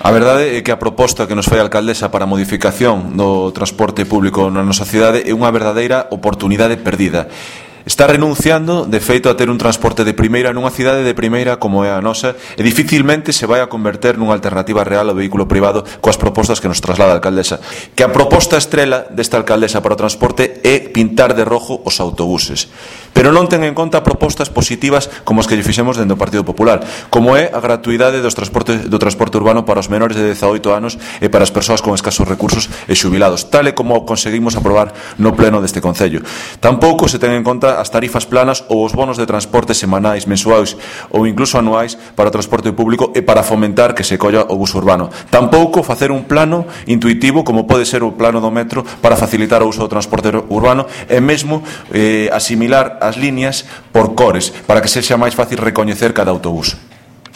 A verdade é que a proposta que nos fai a alcaldesa para a modificación do transporte público na nosa cidade é unha verdadeira oportunidade perdida. Está renunciando, de feito, a ter un transporte de primeira nunha cidade de primeira como é a nosa e dificilmente se vai a converter nunha alternativa real ao vehículo privado coas propostas que nos traslada a alcaldesa. Que a proposta estrela desta alcaldesa para o transporte é pintar de rojo os autobuses. Pero non ten en conta propostas positivas como as que lle fixemos dentro do Partido Popular, como é a gratuidade do transporte urbano para os menores de 18 anos e para as persoas con escasos recursos e xubilados, tal e como conseguimos aprobar no pleno deste Concello. Tampouco se ten en conta as tarifas planas ou os bonos de transporte semanais, mensuais ou incluso anuais para o transporte público e para fomentar que se colla o bus urbano. Tampouco facer un plano intuitivo como pode ser o plano do metro para facilitar o uso do transporte urbano e mesmo asimilar as líneas por cores para que sexa máis fácil recoñecer cada autobús.